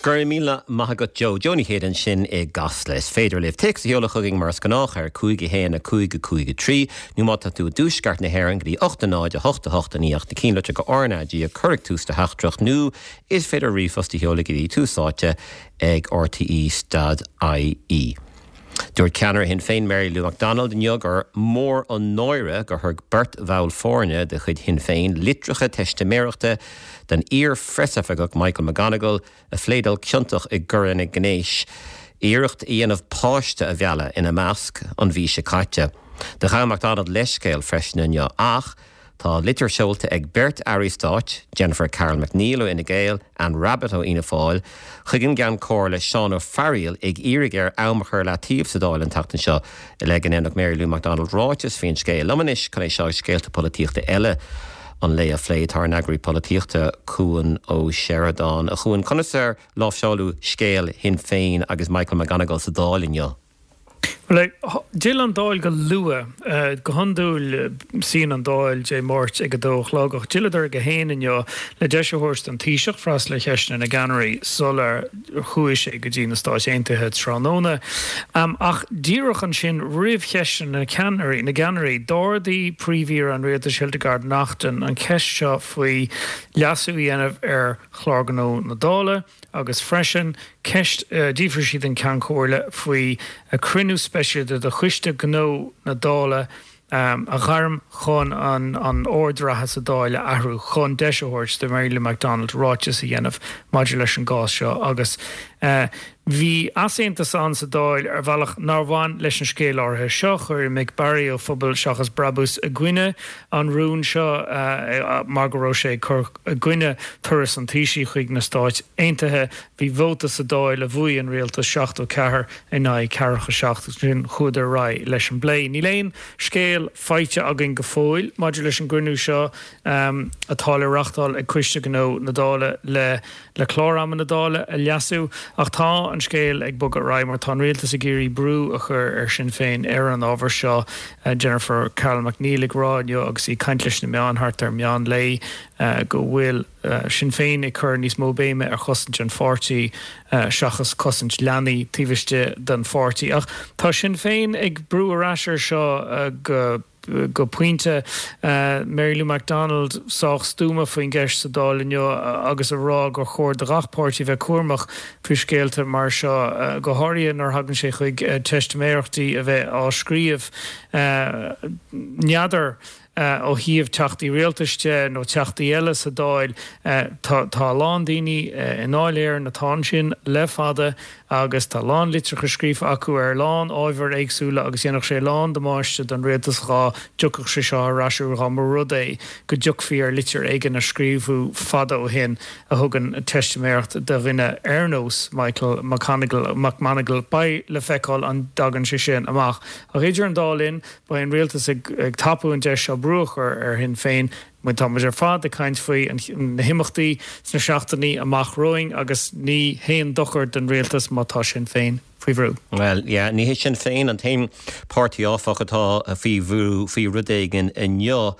Go raibh míle maith agat Joe. Joe Ní Chéide ansin i gCasla. Is féidir libh téacs a sheoladh chugainn mar is gnách ar 5 1 5 5 3 nó má tá tú i dtuaisceart na hÉireann go dtí 8 0 8 8 9 8 na cinnlitreacha RnaG a chur ag tús do theachtaireacht nó is féidir ríomhphost a sheoladh go dtí Tús Áite ag rte dot ie. Dúirt ceannaire Shinn Féin Mary Lou McDonald inniu gur mór an náire gur thug beirt bhall foirne de chuid Shinn Féin litreacha teistiméireachta don iar-phreasoifigeach Michael McGonigal a phléadáil ciontach i gcoireanna gnéis, iarracht a dhéanamh páiste a mhealladh ina measc, an mhí seo caite. Do ghabh McDonald leithscéal freisin inniu ach Tá litir seolta ag beirt airí stáit, Jennifer Carroll MacNeill ó Fhine Gael, Anne Rabbitte ó Fhianna Fáil, chuig an gCeann Comhairle Seán Ó Fearghaíl ag iarraidh air am a chur i leataobh sa Dáil an tseachtain seo le go ndéanfadh Mary Lou McDonald ráiteas faoin scéal. Liom anois chun é seo agus scéalta polaitíochta eile an lae a phlé tá ár n-eagraí polaitíochta, Cuan Ó Seireadáin. A Chuain, conas ar láimhseáladh scéal Shinn Féin agus Michael McGonigal sa Dáil inniu? Bhuel, d'fhill an Dáil go luath. Go hiondúil, suíonn an Dáil Dé Máirt ag a dó a chlog, ach d'fhilleadar ag a haon inniu le deis a thabhairt don Taoiseach freastal ar cheisteanna na gceannairí sular chuaigh sé go dtí na Stáit Aontaithe tráthnóna. Ach díreach ansin roimh cheisteanna na ceannairí, na gceannairí, d'ardaigh Príomh-Aoire an Rialtais Hildegarde Naughton an cheist seo faoi leasú a dhéanamh ar Chlár Gnó na Dála. Agus freisin, ceist, d'fhiafraigh sí den Cheann Comhairle faoi cruinniú speisialta de Choiste Gnó na Dála a ghairm chun an ord reatha sa Dáil a athrú chun deis a thabhairt do Mary Lou McDonald ráiteas a dhéanamh maidir leis an gcás seo agus bhí easaontas ann sa Dáil ar bhealach nár bhain leis an scéal áirithe seo. Chuir Mick Barry ó Phobal Seachas Brabús i gcoinne an rúin seo mar go raibh sé ag cur i gcoinne turas an Taoisigh chuig na Stáit Aontaithe. Bhí vóta sa Dáil a bhuaigh an rialtas, 74 in aghaidh ceathracha 7, agus ansin chuadar ar aghaidh leis an bplé. Níl aon scéal faighte againn go fóill maidir leis an gcruinniú seo atá le reachtáil ag Coiste Gnó na Dála le le clár ama na Dála a leasú ach tá an scéal ag bogadh ar aghaidh mar tá an rialtas ag iarraidh brú a chur ar Sinn Féin ar an ábhar seo. Jennifer Carroll MacNeill ag rá inniu agus í ag caint leis na meáin thart ar meán lae go bhfuil Sinn Féin ag cur níos mó béime ar chosaint an pháirtí seachas cosaint leanaí taobh istigh den pháirtí. Ach tá Sinn Féin ag brú ar ais air seo go go pointe. Mary Lou McDonald sách stuama faoin gceist sa Dáil inniu agus a rá gur chóir do gach páirtí bheith cúramach faoi scéalta mar seo, go háirithe nuair a thagann sé chuig teistiméireachtaí a bheith á scríobh. N'fheadar ó thaobh teachtaí rialtais de nó teachtaí eile sa Dáil, tá a lán daoine i nDáil Éireann atá ansin le fada, agus tá a lán litreacha scríofa acu ar a lán ábhair éagsúla agus dhéanfadh sé a lán damáiste don rialtas dhá dtiocfadh sé seo ar ais uair dá mba rud é go dtiocfaí ar litir éigin a scríobhadh fada ó shin a thugann teistiméireacht de dhuine ar nós Michael McConigle, McMonagle. Beidh le feiceáil an dtagann sé sin amach. Ach idir an dá linn, beidh an rialtas ag tapú an deis seo brú a chur ar Shinn Féin Mar tá muid ar fad ag caint faoi na himeachtaí sna seachtainí amach romhainn agus ní haon dochar don rialtas má tá Sinn Féin faoi bhrú. Bhuel, yeah, ní hé Sinn Féin an t-aon páirtí áfach atá faoi bhrú faoi rud éigin inniu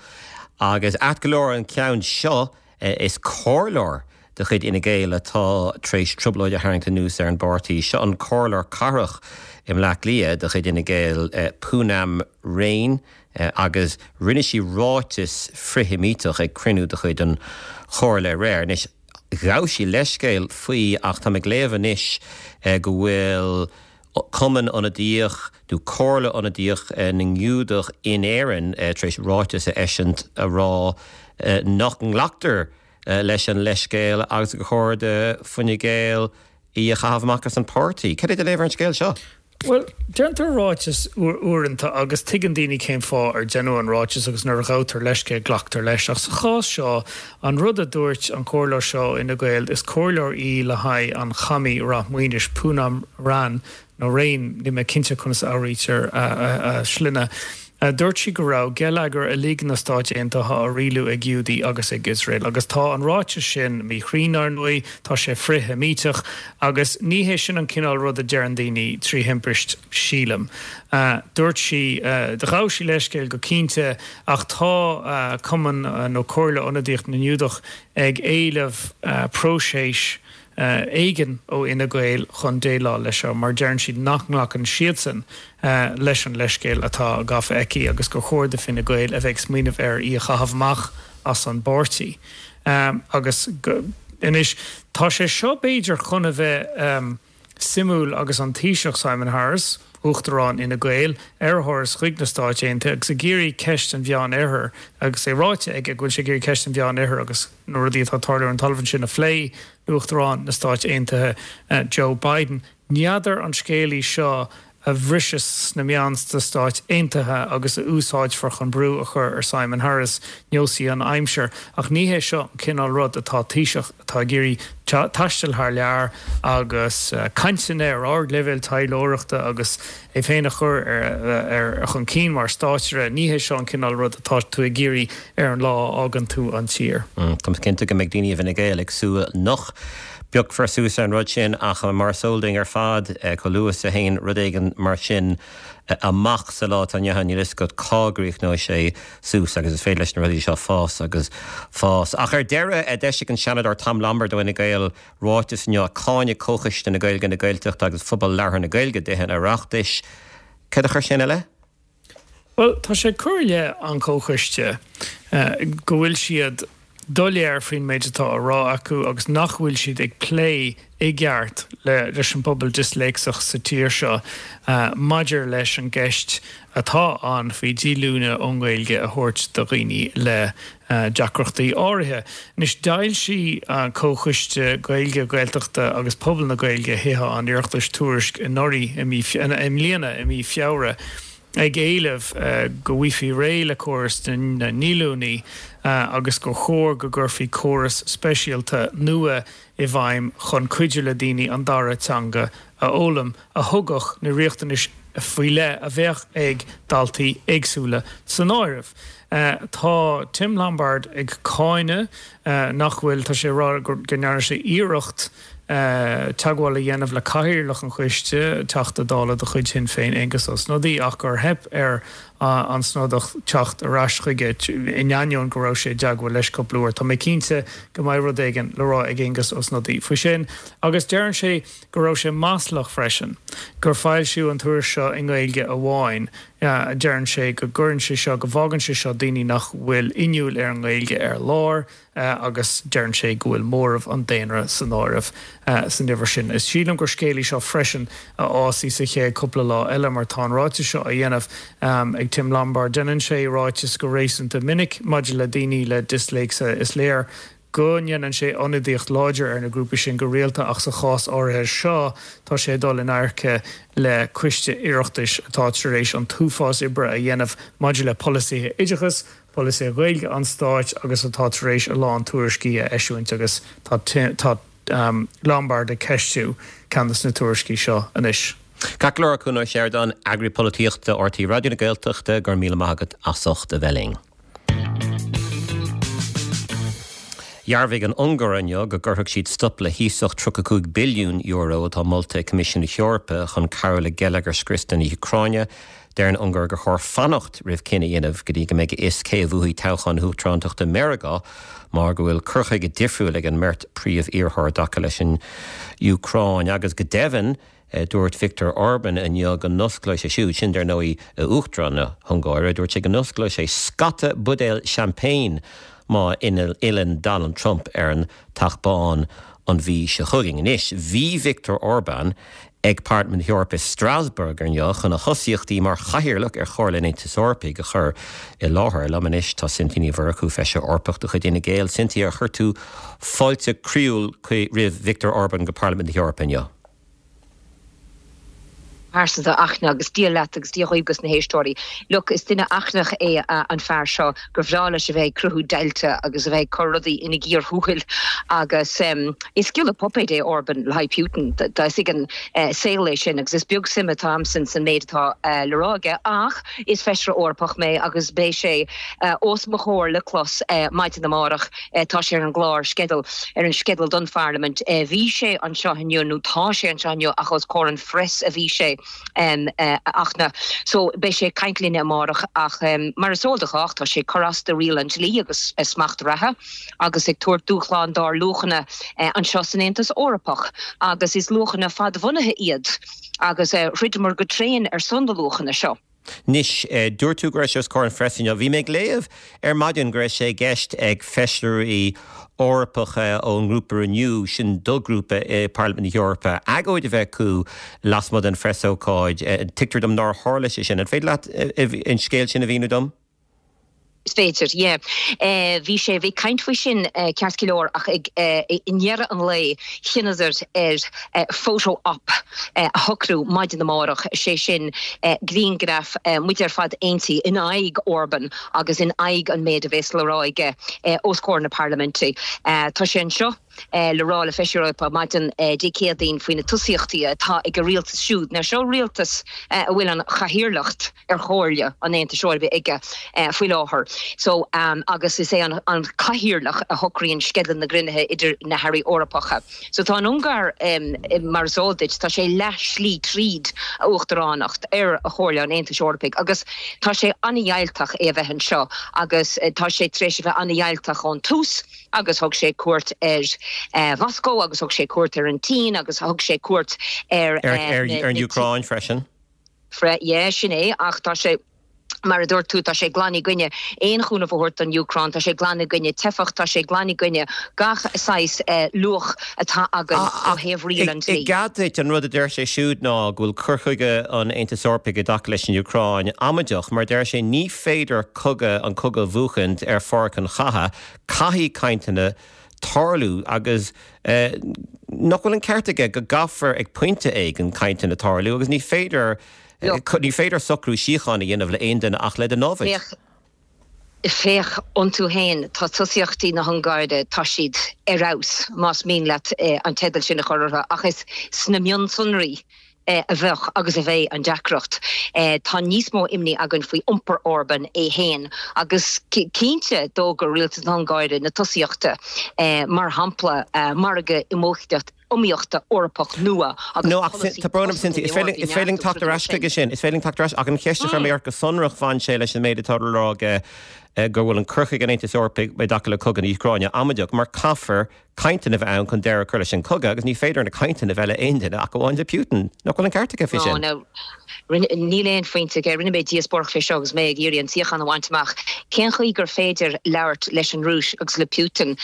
agus ait go leor an ceann seo, is comhairleoir de chuid Fhine Gael atá tar éis trioblóid a tharraingt anuas ar an bpáirtí. Seo an comhairleoir cathrach i mBleá Cliath de chuid Fhine Gael, Poonam Raine. agus rinne sí ráiteas frith-Sheimíteach ag cruinniú de chuid an Chomhairle aréir. Anois, ghabh sí leithscéal faoi ach táim ag léamh anois go bhfuil Cumann Ionadaíoch nó Comhairle Ionadaíoch na nGiúdach in Éirinn tar éis ráiteas a eisiúint a rá nach nglactar leis an leithscéal agus gur chóir do Fine Gael í a chaitheamh amach as an páirtí. Cad é do léamh ar an scéal seo? Bhuel, déantar ráiteas uaireanta agus tuigeann daoine cén fáth ar deineadh an ráiteas agus nuair a ghabhtar leithscéal glactar leis. Ach sa chás seo, an rud a dúirt an comhairleoir seo ó Fhine Gael, is comhairleoir í le haghaidh an Chamais Ráth Maoinis, Poonam Ran, nó Rain, níl mé cinnte conas a fhoghraítear a sloinne, Dúirt sí go raibh geilleagar uilig na Stáit Aontaithe á rialú ag Giúdaigh agus ag Iosrael agus tá an ráiteas sin míchruinn, ar ndóigh, tá sé frith-Sheimíteach agus ní hé sin an cineál rud a deireann daoine trí thimpist, sílim. Dúirt sí, ghabh sí leithscéal go cinnte ach tá Cumann nó Comhairle Ionadaíocht na nGiúdach ag éileamh próiseas. éigin ó Fhine Gael chun déileáil leis seo mar deireann siad nach nglacann siadsan leis an leithscéal atá gafa aici agus gur chóir do Fine Gael a bheith ag smaoineamh ar í a chaitheamh amach as an bpáirtí. Agus anois tá sé seo b'fhéidir chun a bheith suimiúil agus an Taoiseach Simon Harris, Uachtarán Fhine Gael, ar a thuras chuig na Stáit Aontaithe agus ag iarraidh ceist an Mheán Oirthir agus é ráite aige go bhfuil sé ag iarraidh ceist an Mheán Oirthir agus na rudaí atá ag tarlú ar an talamh ansin a phlé le Uachtarán na Stáit Aontaithe Joe Biden. N'fheadar an scéal í seo a bhriseas sna meáin sna Stáit Aontaithe agus a úsáidfear chun brú a chur ar Simon Harris, neosfaidh an aimsir. Ach ní hé seo an cineál rud atá Taoiseach atá ag iarraidh taisteal thar lear agus cainteanna ar ardleibhéal taidhleoireachta agus é féin a chur ar chun cinn mar státaire, ní hé seo an cineál rud atá tú ag iarraidh ar an lá a fhágann tú an tír. Táim cinnte go mbeidh daoine i bhFine Gael ag súil nach bpiocfar suas ar an rud sin ach mar is eol dúinn ar fad, chomh luath is a théann rud éigin mar sin amach sa lá atá inniu ann, níl a fhios agat cá gcríochnóidh sé suas agus is féidir leis na rudaí seo fás agus fás. Ach ar deireadh, d'eisigh an Seanadóir Tom Lombard ó Fhine Gael ráiteas inniu ag cáineadh Comhchoiste na Gaeilge, na Gaeltachta agus Phobal Labhartha na Gaeilge i dTithe an Oireachtais. Céard a chuir sé ina leith? Bhuel, tá sé ag cur i leith an Chomhchoiste go bhfuil siad doiléir faoin méid atá á rá acu agus nach bhfuil siad ag plé i gceart leis an bpobal disléicseach sa tír seo maidir leis an gceist atá ann faoi dhíolúine ón nGaeilge a thabhairt do dhaoine le deacrachtaí áirithe. Anois, d'fhoilsigh Comhchoiste Gaeilge, Gaeltachta agus Pobal na Gaeilge Thithe an Oireachtais tuairisc anuraidh, i mbliana, i mí Feabhra, ag éileamh go bhfaighfí réidh le córas na ndíolúiní agus gur chóir go gcuirfí córas speisialta nua i bhfeidhm chun cuidiú le daoine an dara teanga a fhoghlaim, a thugadh na riachtanais faoi leith a bheadh ag daltaí éagsúla san áireamh. Tá Tim Lombard ag cáineadh nach bhfuil, tá sé ag rá go ndearna sé iarracht teagmháil a dhéanamh le cathaoirleach an choiste, Teachta Dála de chuid Shinn Féin, Aengus Ó Snodaigh, ach gur theip ar an Snodach teacht ar ais chuige in ainneoin go raibh sé i dteagmháil leis cúpla uair. Tá mé cinnte go mbeidh rud éigin le rá ag Aengus Ó Snodaigh faoi sin. Agus deireann sé go raibh sé maslach freisin gur foilsíodh an tuairisc seo i nGaeilge amháin. Deireann sé go gcuireann sé seo, go bhfágann sé seo daoine nach bhfuil inniúil ar an nGaeilge ar lár agus deireann sé go bhfuil móramh an daonra san áireamh san uimhir sin. Is sílim gur scéal í seo freisin a fhásfaidh sa chéad cúpla lá eile mar tá an ráiteas seo á dhéanamh ag Tim Lombard. Déanann sé ráitis go réasúnta minic maidir le daoine le disléicse. Is léir go ndéanann sé ionadaíocht láidir ar na grúpaí sin go rialta ach sa chás áirithe seo tá sé ag dul in adharca le coiste Oireachtais atá tar éis an t-uafás oibre a dhéanamh maidir le polasaithe oideachais, polasaithe Gaeilge an stáit agus atá tar éis a lán tuairiscí a eisiúint agus tá tá Lombard ag ceistiú ceann de na tuairiscí seo anois. Ceart go leor, a Chuan Ó Seireadáin, Eagraí Polaitíochta RTÉ Raidió na Gaeltachta, go raibh míle maith agat as ucht a bheith linn. Dhearbhaigh an Ungáir inniu go gcuirfeadh siad stop le hiasacht €35 billiún atá molta ag Coimisiún na hEorpa chun cabhrú le geilleagar scriosta na hÚcráine. Deir an Ungáir gur chóir fanacht roimh cinneadh a dhéanamh go dtí go mbeidh a fhios cé a bhuafaidh toghchán na huachtarántachta i Meiriceá mar go bhfuil cur chuige difriúil ag an mbeirt príomh-iarrthóir i dtaca leis an Úcráin agus go deimhin Dúirt Viktor Orban inniu go n-osclóidh sé siúd, sin dar ndóigh Uachtarán na hUngáire, dúirt sé go n-osclóidh sé scata buidéal champagne má fhilleann Donald Trump ar an Teach Bán an mhí seo chugainn. Anois, bhí Viktor Orban ag Parlaimint na hEorpa i Strasbourg inniu chun a thosaíochtaí mar chathaoirleach ar Chomhairle an Aontais Eorpaigh a chur i láthair. Liom anois tá Cynthia Ní Mhurchú, Feisire Eorpach de chuid Fhine Gael. Cynthia, ar chuir tú fáilte croíúil roimh Viktor Orban go Parlaimint na hEorpa inniu? pearsanta aithne agus Dia leat agus Dia dhaoibh agus na héisteoirí. Look, is duine achranach é an fear seo gur bhreá leis a bheith ag cruthú deighilte agus a bheith ag cur rudaí ina gcíor thuathail agus is giolla puipéid é Orban le haghaidh Putin. Is ag an saol é sin agus is beag suim atá a'msa san méid atá le rá aige ach is Feisire Eorpach mé agus beidh sé os mo chomhair le clos maidin amárach. Tá sé ar an gclár, sceideal, ar an sceideal don Pharlaimint. Bhí sé anseo inniu, nó tá sé anseo inniu, ach os comhair an phreas a bhí sé. A Fhachtna. So, beidh sé ag caint linne amárach ach mar is eol do chách, tá sé ag cur as do riail an dlí agus smacht reatha agus ag tabhairt dúshlán dár luachanna anseo san Aontas Eorpach agus is luachanna fadbhunaithe iad agus throideamar go tréan ar son na luachanna seo. Anois, dúirt tú go raibh sé os comhair an phreasa inniu. Bhí mé ag léamh ar maidin go raibh sé i gceist ag feisirí Eorpacha ón ngrúpa Renew, sin d'fhoghrúpa i bParlaimint na hEorpa, agóid a bheith acu lasmuigh den phreasócáid. Tuigtear dom nár tharla sé sin. An féidir leat an scéal sin a mhíniú dom? Is féidir, yeah. Bhí sé, bhí caint faoi sin ceart go leor ach ag, i ndeireadh an lae chinneadar ar photo op a shocrú maidin amárach, sé sin grianghraf muid ar fad aontaithe in aghaidh Orban agus in aghaidh an méid a bhéas le rá aige os comhair na parlaiminte. Tá sé anseo. le rá le Feisirí Eorpacha maidin Dé Céadaoin faoi na tosaíochtaí atá ag a rialtas siúd. Now seo rialtas a bhfuil an chathaoirleacht ar Chomhairle an Aontais Eorpaigh aige faoi láthair. So, agus is é an cathaoirleach a shocraíonn sceideal na gcruinnithe idir na hairí Eorpacha. So tá an Ungáir, mar is eol duit, tá sé leath slí tríd a uachtaránacht ar Chomhairle an Aontais Eorpaigh agus tá sé an-fhadhilteach é a bheith anseo agus tá sé tar éis a bheith an-fhadhilteach ón tús. agus thug sé cuairt ar Mhoscó agus thug sé cuairt ar an tSín agus thug sé cuairt ar ar an Úcráin freisin. Yeah, sin é, ach tá sé, mar a dúirt tú, tá sé glan i gcoinne aon chúnamh a thabhairt don Úcráin, tá sé glan i gcoinne teifeach, tá sé glan i gcoinne gach saghas luach atá againn ó thaobh riail an dlí. I gcead duit, an rud a deir sé siúd ná go bhfuil cur chuige an Aontais Eorpaigh i dtaca leis an Úcráin amaideach, mar deir sé ní féidir cogadh, an cogadh a bhuachaint ar pháirc an chatha, Caithfidh cainteanna tarlú agus nach bhfuil an ceart aige go gcaithfear ag pointe éigin cainteanna tarlú agus ní féidir ní féidir socrú síochána a dhéanamh le aon duine ach le do namhaid. Féach, féach iontu féin, tá tosaíochtaí na hUngáire, tá siad ar fheabhas, más mian leat an teideal sin a chur orthu, ach is sna mionsonraí a bheadh agus a bheidh an deacracht. Tá níos mó imní againn faoi iompar Orban é féin agus cinnte d'fhógair rialtas na hUngáire na tosaíochtaí, mar shampla margadh iomaíochta Eorpach nua agus No, ach polasaí tá brón orm cosanta Cynthia, is féidir is féidir linn teacht ar ais chuige sin, is féidir linn teacht ar ais ach an cheist a chuir mé ort go sonrach bhain sé leis an méid atá le rá aige go bhfuil an cur chuige an Aontais Eorpaigh i dtaca le cogadh na hÚcráine amaideach mar caithfear cainteanna a bheith ann chun deireadh a chur leis an chogadh agus ní féidir na cainteanna a bheith le aon duine ach amháin le Putin. Nach bhfuil an ceart aige faoi sin? No, níl aon phointe aige. Rinne mé díospóireacht fé seo agus mé ag iarraidh an suíochán a bhaint amach. Cén chaoi gur féidir labhairt leis an Rúis agus le Putin?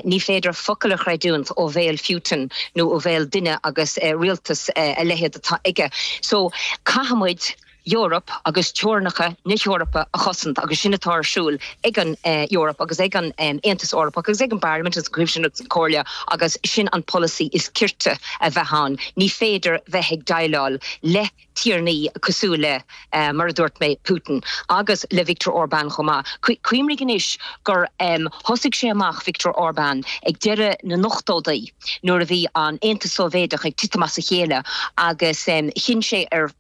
Ní féidir focal a chreidiúint ó bhéal Phutin nó ó bhéal duine agus rialtas a leithéid atá aige. So, caithfidh muid. Eoraip agus teorainneacha na hEorpa a chosaint agus sin atá ar siúl ag an Eoraip agus ag an Aontas Eorpach agus ag an bParlaimint agus an Coimisiún agus an Chomhairle agus sin an polasaí is cirte a bheith ann. Ní féidir bheith ag déileáil le tiarnaí cosúil le, mar a dúirt mé, Putin agus le Viktor Orbán chomh maith. Cuimhnigh anois gur thosaigh sé amach, Viktor Orbán, ag deireadh na n-ochtóidí. nuair a bhí an Aontas Sóivéadach ag titim as a chéile agus chinn sé ar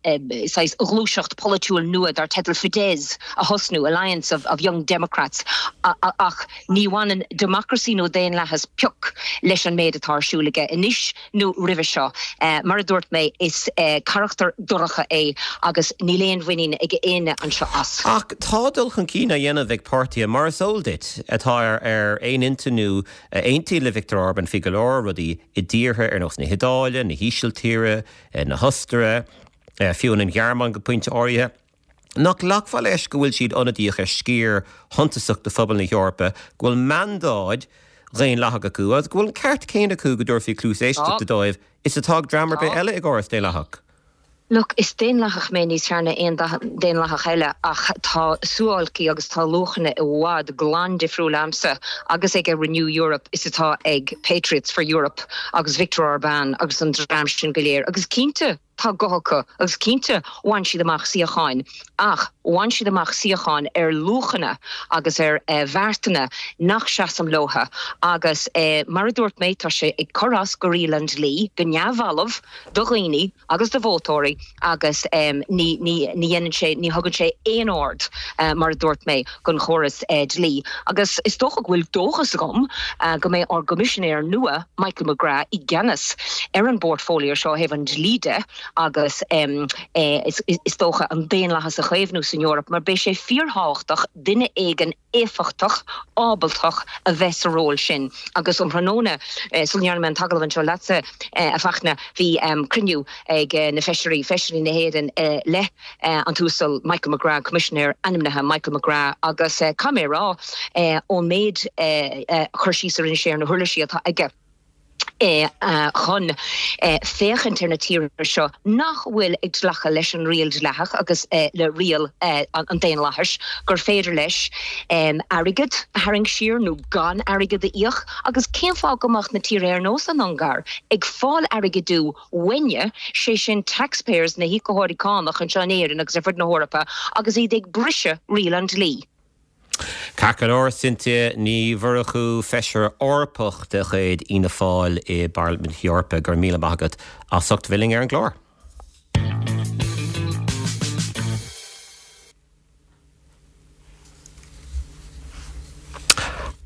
saghas ghluaiseacht pholaitiúil nua dar teideal Fidesz a thosnú, Alliance of Young Democrats, ach ní bhaineann democracy nó daonlathas pioc leis an méid atá ar siúl aige anois nó roimhe seo. Mar a dúirt mé, is carachtar dorcha é agus níl aon mhuinín ag éinne anseo as. Ach tá dul chun cinn á dhéanamh ag páirtithe, mar is eol duit, atá ar aon intinn nó a aontaíonn le Viktor Orban faoi go leor rudaí i dtíortha ar nós na hIodáile, na hÍsiltíre, na hOstaire, fiú an Ghearmáin go pointe áirithe. Nach nglacfá leis go bhfuil siad ionadaíoch ar sciar shuntasach de phobal na hEorpa, go bhfuil mandáid dhaonlathach acu agus go bhfuil an ceart céanna acu go dtabharfaí cluas éisteachta dóibh is atá ag dream ar bith eile i gcóras daonlathach? Look, is daonlathach mé níos fearr ná aon daonlathach eile ach tá suáilcí agus tá luachanna i bhfad glan difriúil a'msa agus ag Renew Europe is atá ag Patriots for Europe agus Viktor Orbán agus an dream sin go léir agus cinnte tá guth acu agus cinnte bhain siad amach suíocháin ach bhain siad amach suíocháin ar luachanna agus ar bheartanna nach seasaim leotha agus mar a dúirt mé tá sé ag cur as go riail an dlí go neamhbhalbh do dhaoine agus do vótóirí agus ní dhéanann sé, ní thugann sé aon aird, mar a dúirt mé, don chóras dlí. Agus is dócha go bhfuil dóchas agam go mbeidh ár gCoimisinéir nua, Michael McGrath, i gceannas ar an bportfolio seo ó thaobh an dlí de. agus is dócha an daonlathas a chaomhnú san Eoraip mar beidh sé fíorthábhachtach duine éigin éifeachtach, ábaltach a bheith sa ról sin. Agus um thráthnóna, sula ndearna mé an t-agallamh anseo leatsa, a Fachtna, bhí cruinniú ag na feisirí, feisirí na hÉireann le an tUasal Michael McGrath, Coimisinéir ainmnithe Michael McGrath, agus caithfidh mé a rá, ón méid cur síos a rinne sé ar na huirlisí atá aige, chun féachaint ar na tíortha seo nach bhfuil ag glacadh leis an riail dleathach agus le riail an daonlathais, gur féidir leis airgead a tharraingt siar nó gan airgead a íoc agus cén fáth go mbeadh na tíortha ar nós an Ungáir ag fáil airgid uainne, sé sin taxpayers, na híocaitheoirí cánach anseo in Éirinn agus ar fud na hEorpa agus iad ag briseadh riail an dlí. Ceart go leor, Cynthia Ní Mhurchú, Feisire Eorpach de chuid Fhianna Fáil i bParlaimint na hEorpa, go raibh míle maith agat as ucht bheith linn ar an gclár.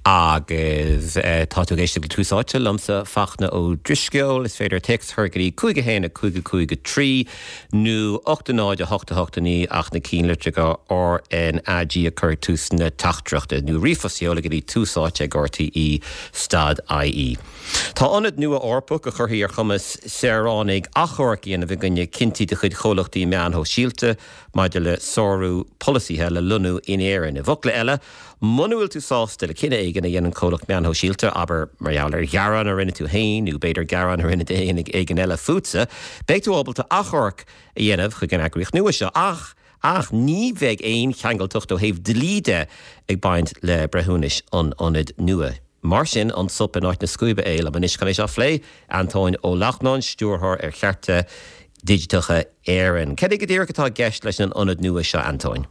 Agus tá tú ag éisteacht le Tús Áite liomsa, Fachtna Ó Drisceoil. Is féidir téacs a chur go dtí 5 1 5 5 3 nó 8 0 8 8 9 ach na cinnlitreacha RnaG a chur ag tús na teachtaireachta, nó ríomhphost a sheoladh go dtí tús áite ag RTÉ stad IE. Tá ionad nua Eorpach a chuirfidh ar chumas saoránaigh achomharc a dhéanamh i gcoinne cinntí de chuid chomhlachtaí meán shóisialta maidir le sárú polasaithe le lonnú in Éirinn. I bhfocla eile, muna bhfuil tú sásta le cinneadh éigin a dhéanann comhlacht meán shóisialta, abair mar gheall ar ghearán a rinne tú féin nó b'fhéidir gearán a rinne duine éigin eile fútsa, beidh tú ábalta achomharc a dhéanamh chuig an eagraíocht nua seo. Ach, ach ní bheidh aon cheangaltacht ó thaobh dlí de ag baint le breithiúnais an ionaid nua. Mar sin, an sop in áit na scuaibe é? Liom anois chun é seo a phlé, Antóin Ó Lachtnáin, Stiúrthóir ar Chearta Digiteacha Éireann. Cad é go díreach atá i gceist leis an ionad nua seo, Antóin?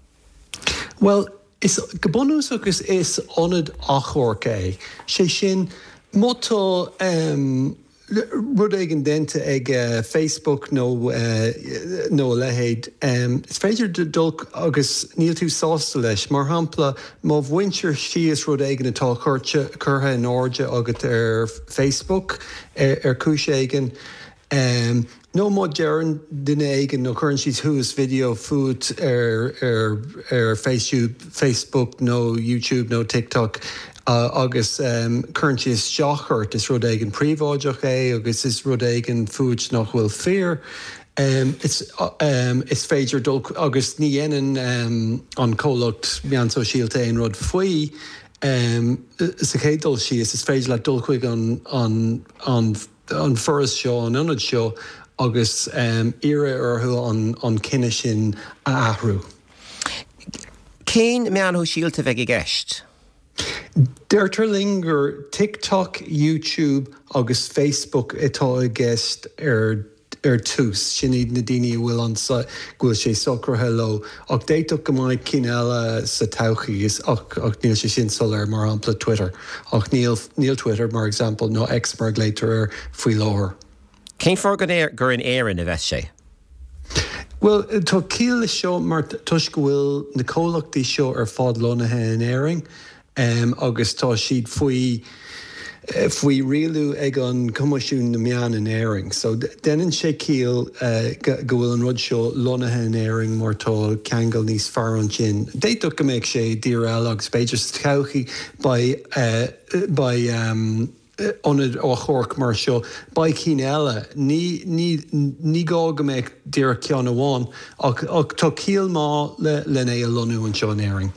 Bhuel, is, go bunúsach is, is ionad achomhairc é. Sé sin, má tá rud éigin déanta ag Facebook nó nó a leithéid, is féidir dul agus níl tú sásta leis. Mar shampla, má bhaintear síos rud éigin atá curtha in airde agat ar Facebook ar chúis éigin, Nó má deireann duine éigin nó cuireann siad suas video fút ar ar Facebook nó YouTube nó TikTok agus cuireann siad isteach ort, is rud éigin príobháideach é agus is rud éigin fút nach bhfuil fíor, is féidir dul agus ní dhéanann an comhlacht meán sóisialta aon rud faoi. Sa chéad dul síos, is féidir leat dul chuig an an an foras seo, an ionad seo agus iarraidh orthu an cinneadh sin a athrú. Cén meáin shóisialta a bheidh i gceist? Deirtear linn gur TikTok, YouTube agus Facebook atá i gceist ar ar tús. Sin iad na daoine a bhfuil an go bhfuil sé socraithe leo. Ach d'fhéadfadh go mbeadh cinn eile sa todhchaí ach ach níl sé sin soiléir, mar shampla Twitter. Ach níl níl Twitter, mar example, nó X mar a ghlaotar air faoi láthair. Cén fáth gur in Éirinn a bheas sé? Bhuel, tá ciall leis seo mar toisc go bhfuil na comhlachtaí seo ar fad lonnaithe in Éirinn. agus tá siad faoi faoi rialú ag an Coimisiún na Meán in Éirinn. So déanann sé ciall go bhfuil an rud seo lonnaithe in Éirinn mar tá ceangal níos fearr ansin. D'fhéadfadh go mbeadh sé i dtír eile agus b'fhéidir sa todhchaí beidh beidh ionad achomhairc mar seo. Beidh cinn eile. Ní, ní, ní gá go mbeadh díreach ceann amháin, ach, ach tá ciall maith le, len é a lonnú anseo in Éirinn,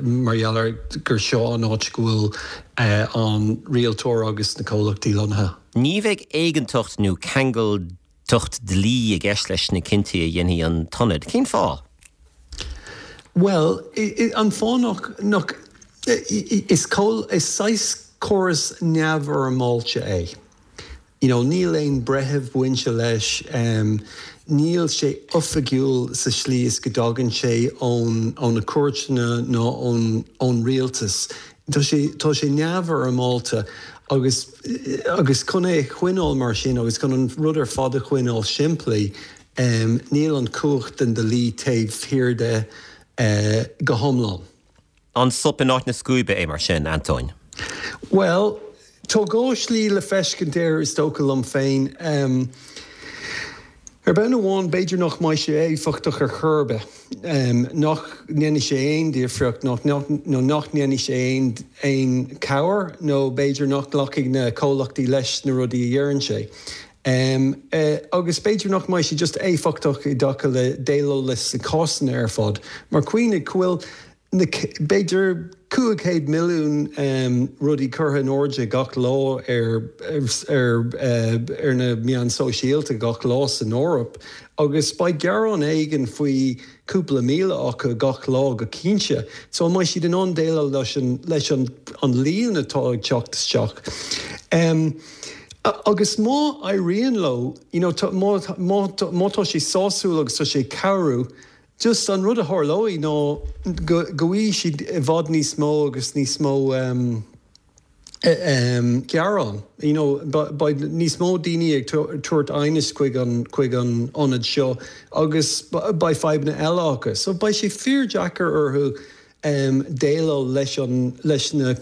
mar gheall ar gur seo an áit go bhfuil an rialtóir agus na comhlachtaí lonnaithe. Ní bheidh éigeantacht nó ceangailteacht dlí i gceist leis na cinntí a dhéanfaidh an t-ionad. Cén fáth? Bhuel, an fáth nach, nach, is is saghas córas neamhfhoirmeáilte é. You know, níl aon breitheamh bainte leis, níl sé oifigiúil sa slí is go dtagann sé ón, ó na cúirteanna nó ón, ón rialtas. Tá sé, tá sé neamhfhoirmeáilte agus, agus chun é a choinneáil mar sin agus chun an rud ar fad a choinneáil simplí, Níl an chumhacht den dlí taobh thiar de go hiomlán. An sop in áit na scuaibe é mar sin, Antóin? Bhuel, tá dhá shlí le feiscint air is dócha liom féin. Ar bhonn amháin, b'fhéidir nach mbeidh sé éifeachtach ar chor ar bith, nach ndéanfaidh sé aon difríocht nó nach ndéanfaidh sé aon chabhair nó b'fhéidir nach nglacfaidh na comhlachtaí leis na rudaí a dheireann sé. Agus b'fhéidir nach mbeidh sé just éifeachtach i dtaca le déileáil leis na cásanna ar fad. Mar cuimhnigh go bhfuil na, b'fhéidir, 500 milliún rudaí curtha in airde gach lá ar ar na meáin sóisialta gach lá san Eoraip agus beidh gearán éigin faoi cúpla 1,000 acu gach lá go cinnte. So an mbeidh siad in ann déileáil leis an leis an an líon atá ag teacht isteach? Agus má éiríonn leo, you know, má má má tá sé sásúil agus tá sé ag cabhrú, Just an rud a tharlóidh ná go bhfaighidh siad i bhfad níos mó agus níos mó gearán. You know, beidh níos mó daoine ag tabhairt aighnis chuig an, chuig an ionad seo agus beidh fadhbanna eile acu. So beidh sé fíordheacair orthu déileáil leis an, leis na,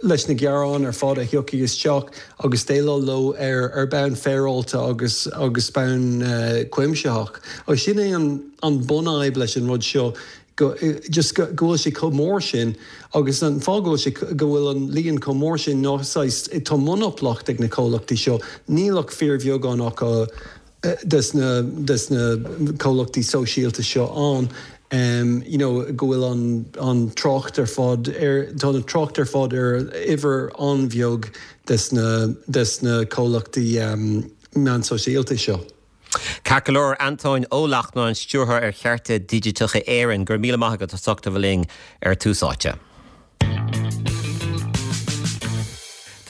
leis na gearáin ar fad a thiocfaidh isteach agus déileáil leo ar, ar bonn féaráilte agus, agus bonn cuimsitheach. Agus sin é an, an bunfhadhb leis an rud seo, go, just go, go bhfuil sé chomh mór sin agus an fáth go bhfuil sé, go bhfuil an líon chomh mór sin ná saghas, tá monaplacht ag na comhlachtaí seo, níl ach fíorbheagán acu, des na des na comhlachtaí sóisialta seo ann you know go bhfuil an an trácht ar fad ar tá an trácht ar fad ar uimhir an-bheag des na des na comhlachtaí meán sóisialta seo. Ceart go leor, Antóin Ó Lachtnáin, Stiúrthóir ar Chearta Digiteacha Éireann, go raibh míle maith agat as ucht a bheith linn ar Tús Áite.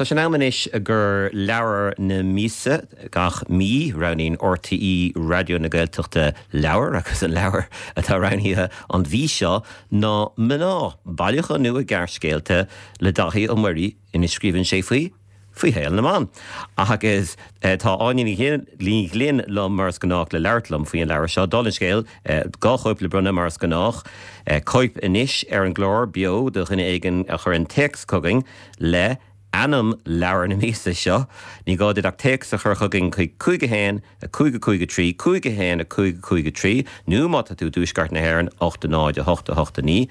Tá sé in am anois do leabhar na míosa. Gach mí, roghnaíonn RTÉ Raidió na Gaeltachta leabhar agus an leabhar atá roghnaithe an mhí seo ná Mná, bailiúchán nua gearrscéalta le Dáithí Ó Muirí ina scríobhann sé faoi faoi shaol na mban. Agus tá Áine Ní Ghlinn liom mar is gnách le labhairt liom faoi an leabhar seo. Dála an scéil, 2 chóip le bronnadh mar is gnách. Cóip anois ar an gclár beo do dhuine éigin a chuireann téacs chugainn le ainm leabhar na míosa seo. Ní gá duit ach téacs a chur chugainn chuig 5 1 5 5 3 5 1 5 5 3 nó má tá tú i dtuaisceart na hÉireann 8 0 8 8 9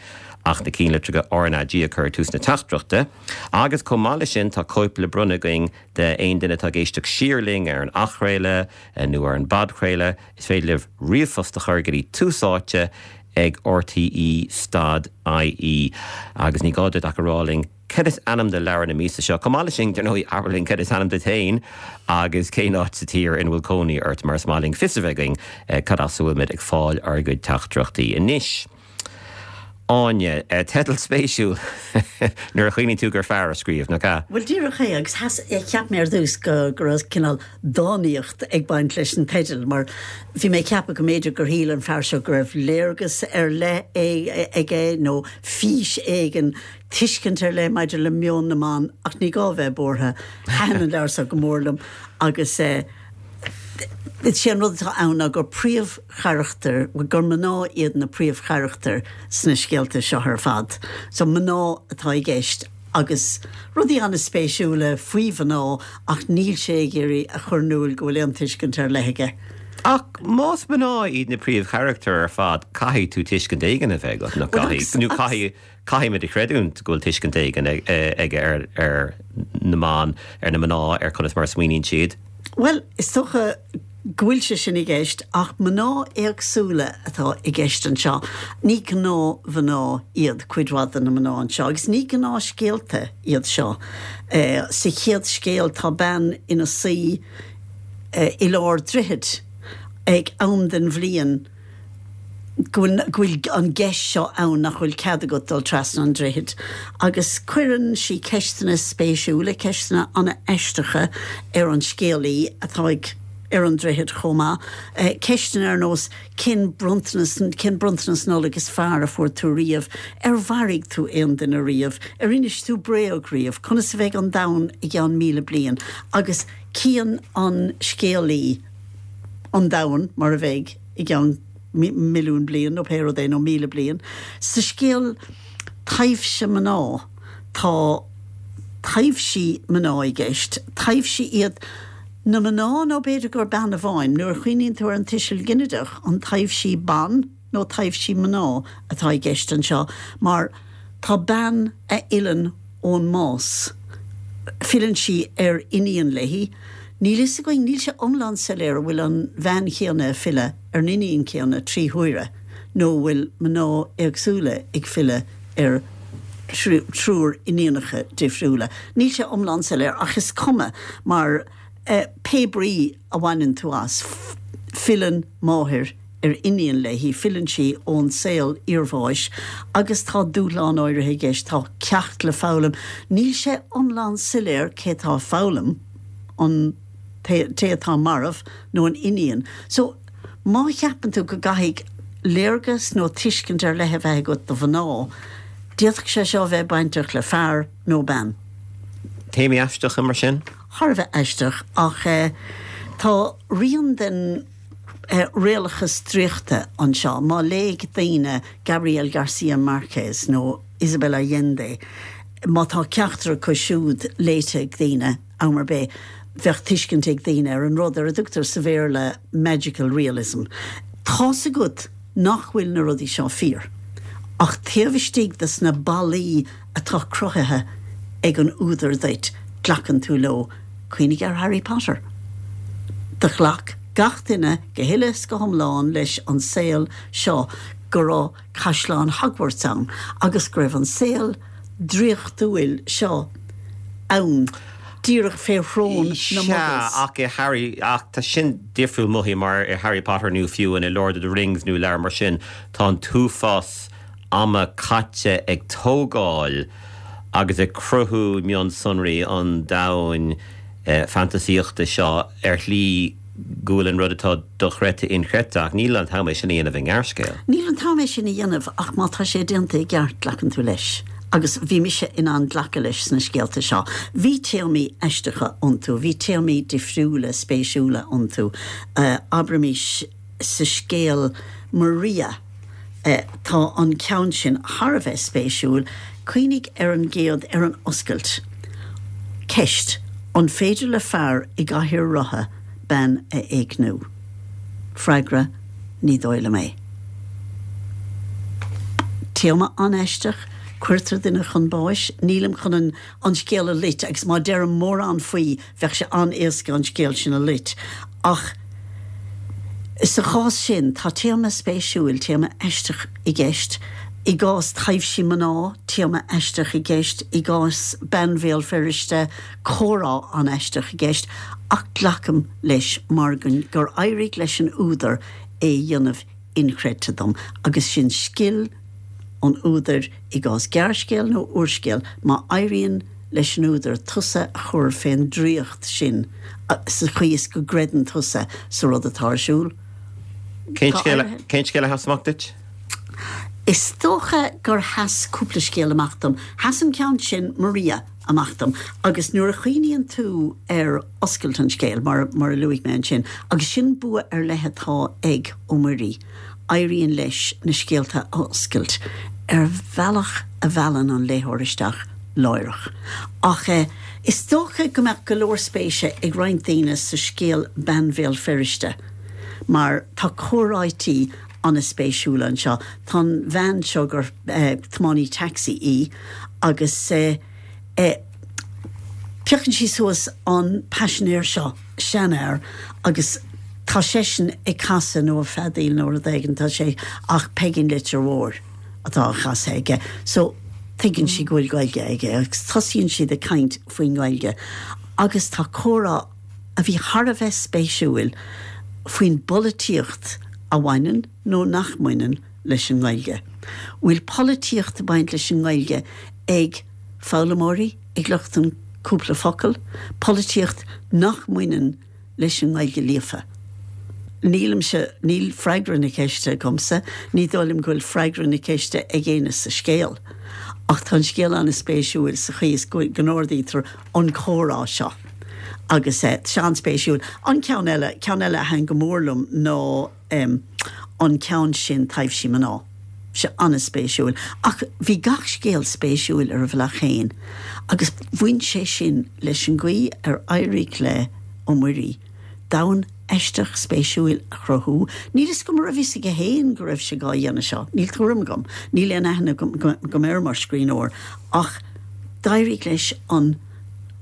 ach na cinnlitreacha RnaG a chur ag tús na teachtaireachta. Agus chomh maith leis sin tá cóip le bronnadh againn d'aon duine atá ag éisteacht siar linn ar an athchraoladh nó ar an bpodchraoladh. Is féidir libh ríomhphost a chur go dtí Tús Áite ag rte stad ie agus ní gá duit ach a rá linn cad is ainm do leabhar na míosa seo. Chomh maith leis sin, dar ndóigh, abair linn cad is ainm duit féin agus cén áit sa tír ina bhfuil cónaí ort mar is maith linn fios a bheith againn cad as a bhfuilimid ag fáil ár gcuid teachtaireachtaí. Anois, Áine, teideal spéisiúil nuair a chuimhníonn tú gur fear a scríobh, nach ea? Bhuel, díreach é, agus cheap mé ar dtús go raibh cineál dánaíocht ag baint leis an teideal, mar bhí mé ag ceapadh go mb'fhéidir gur shíl an fear seo go raibh léargas ar leith aige nó fís éigin, tuiscint ar leith maidir le meon na mban, ach ní gá a bheith buartha, thaitin an leabhar seo go mór liom agus eh, is é an rud atá ann ná gur príomhcharachtair, bhuel, gur mná iad na príomhcharachtair sna scéalta seo ar fad. So mná atá i gceist agus rudaí an-spéisiúla faoi mhná ach níl sé ag iarraidh a chur in iúl go bhfuil aon tuiscint ar leith aige. Ach más mná iad na príomhcharachtair ar fad caithfidh tú tuiscint éigin a bheith agat, nach gcaithfidh? Nó caithfidh Caithfimid a chreidiúint go bhfuil tuiscint éigin aige ar na mban, ar na mná, ar conas mar a smaoiníonn siad. Bhuel, is dócha go bhfuil sé sin i gceist, ach mná éagsúla atá i gceist anseo. Ní gnáthmhná iad cuid mhaith de na mná anseo, agus ní gnáthscéalta iad seo. Sa chéad scéal tá bean ina suí i lár droichid ag am den bhliain, go bhfuil, go bhfuil an gceist seo ann nach bhfuil cead agat dul trasna an droichid. Agus cuireann sí ceisteanna spéisiúla, ceisteanna an-aisteacha ar an scéalaí atá ag, ar an droichead chomh maith. Ceisteanna ar nós, cén bronntanas, cén bronntanas Nollag is fearr a fuair tú riamh? Ar mharaigh tú aon duine riamh? Ar inis tú bréag riamh? Conas a bheidh an domhan i gceann 1,000 bliain? Agus cíonn an scéalaí an domhan mar a bheidh i gceann milliún bliain nó pé rud é, nó 1,000 bliain. Sa scéal Taibhse Mná tá taibhsí mná i gceist, taibhsí iad. Na mná, nó b'fhéidir gur bean amháin, nuair a chuimhníonn tú ar an tuiseal ginideach, an taibhsí ban nó taibhsí mná atá i gceist anseo, mar tá bean a fhilleann ón mbás, filleann sí ar iníon léi, níl fhios againn, níl sé iomlán soiléir an bhfuil an bhean chéanna ag filleadh ar an iníon céanna 3 huaire nó an bhfuil mná éagsúla ag filleadh ar thriúr iníonacha difriúla. Níl sé iomlán soiléir ach is cuma mar pé brí a bhaineann tú as, filleann máthair ar iníon léi, filleann sí ón saol iarbháis agus tá dúshlán áirithe i gceist, tá ceacht le foghlaim. Níl sé iomlán soiléir cé atá ag foghlaim, an té atá marbh nó an iníon. So, má cheapann tú go gcaithfidh léargas nó tuiscint ar leith a bheith agat do mhná, d'fhéadfadh sé seo a bheith bainteach le fear nó bean. Téamaí aisteacha mar sin? Thar a bheith aisteach, ach tá rian den réalachas draíochta anseo. Má léigh daoine Gabriel Garcia Marquez nó Isabel Allende, má tá ceachtar acu siúd léite ag daoine, am ar bith, bheadh tuiscint ag daoine ar an rud ar a dtugtar sa Bhéarla magical realism. Tá's agat nach bhfuil na rudaí seo fíor, ach taobh istigh de sna ballaí atá cruthaithe ag an údar duit, glacann tú leo. Cuimhnigh ar Harry Potter. Do ghlac gach duine go huile is go hiomlán leis an saol seo go raibh Caisleán Hogwarts ann agus go raibh an saol draíochtúil seo ann díreach fé shrón na Sea, Muggles. ach i Harry, ach tá sin difriúil mothaím mar i Harry Potter nó fiú in i Lord of the Rings nó leabhar mar sin, tá an t-uafás ama caite ag tógáil agus ag cruthú mionsonraí an domhain fantasaíochta seo ar shlí go bhfuil an rud atá dochreidte inchreidte, ach níl an t-am é sin a dhéanamh i ngearrscéal. Níl an t-am é sin a dhéanamh ach má tá sé déanta i gceart glacann tú leis. Agus bhí mise in ann glacadh leis sna scéalta seo. Bhí téamaí aisteacha iontu, bhí téamaí difriúla, spéisiúla iontu. Abraimis sa scéal Maria, tá an ceann sin thar a bheith spéisiúil. Cuimhnigh ar an gcéad, ar an oscailt. Ceist, An féidir le fear i gcathaoir rotha bean a éigniú? Freagra, Ní dóigh liom é. Téama an-aisteach, cuirtear duine chun báis. Nílim chun an an scéal a loit agus má deirim mórán faoi bheadh sé an-éasca an scéal sin a loit. Ach sa chás sin, tá téama spéisiúil, téama aisteach i gceist. I gcás taibhsí mná, téama aisteach i gceist. I gcás bean Bhéal Feirste, comhrá an-aisteach i gceist. Ach glacaim leis mar gur éirigh leis an údar é a dhéanamh inchreidte dom. Agus sin scil an údair i gcás gearrscéal nó úrscéal, má éiríonn leis an údar tusa a chur fén draíocht sin sa chaoi is go gcreideann tusa sa rud atá ar siúl. Cén scéal a sheas amach duit? Is dócha gur sheas cúpla scéal amach dom. Sheas an ceann sin, Maria, amach dom agus nuair a chuimhníonn tú ar oscailt an scéil, mar mar a luaigh mé ansin, agus sin bua ar leith atá ag Ó Muirí, éiríonn leis na scéalta a oscailt ar bhealach a mheallann an léitheoir isteach láithreach. Ach is dócha go mbeadh go leor spéise ag roinnt daoine sa scéal Bean Bhéal Feirste mar tá comhráití an-spéisiúla anseo. Tá an bhean seo gur tiománaí taxi í agus piocann sí suas an paisinéir seo, seanfhear, agus tá seisean ag casadh nó ag feadaíl nó rud éigin, tá sé, ach Peigín Leitir Mhóir atá á chasadh aige. So, tuigeann sí go bhfuil Gaeilge aige agus tosaíonn siad ag caint faoin nGaeilge agus tá comhrá a bhí thar a bheith spéisiúil faoin bpolaitíocht a bhaineann nó nach mbaineann leis an nGaeilge. Bhfuil polaitíocht ag baint leis an nGaeilge ag foghlaimeoirí, ag lucht an cúpla focal, polaitíocht nach mbaineann leis an nGaeilge líofa? Nílimse, níl freagra na ceiste agamsa, ní dóigh liom go bhfuil freagra na ceiste ag éinne sa scéal. Ach tá an scéal an-spéisiúil sa chaoi is go n-ardaítear an comhrá seo agus tá sé an-spéisiúil. An ceann eile, ceann eile a thaitin go mór liom ná an ceann sin Taibhsí Mná. Sé an-spéisiúil. Ach bhí gach scéal spéisiúil ar a bhealach féin agus bhain sé sin leis an gcaoi ar éirigh le. Ó Muirí domhan aisteach spéisiúil a chruthú. Níl fhios agam an raibh fhios aige féin go raibh sé dhá dhéanamh seo, níl tuairim agam, níl aon aithne agam air mar scríbhneoir, ach d'éirigh leis an,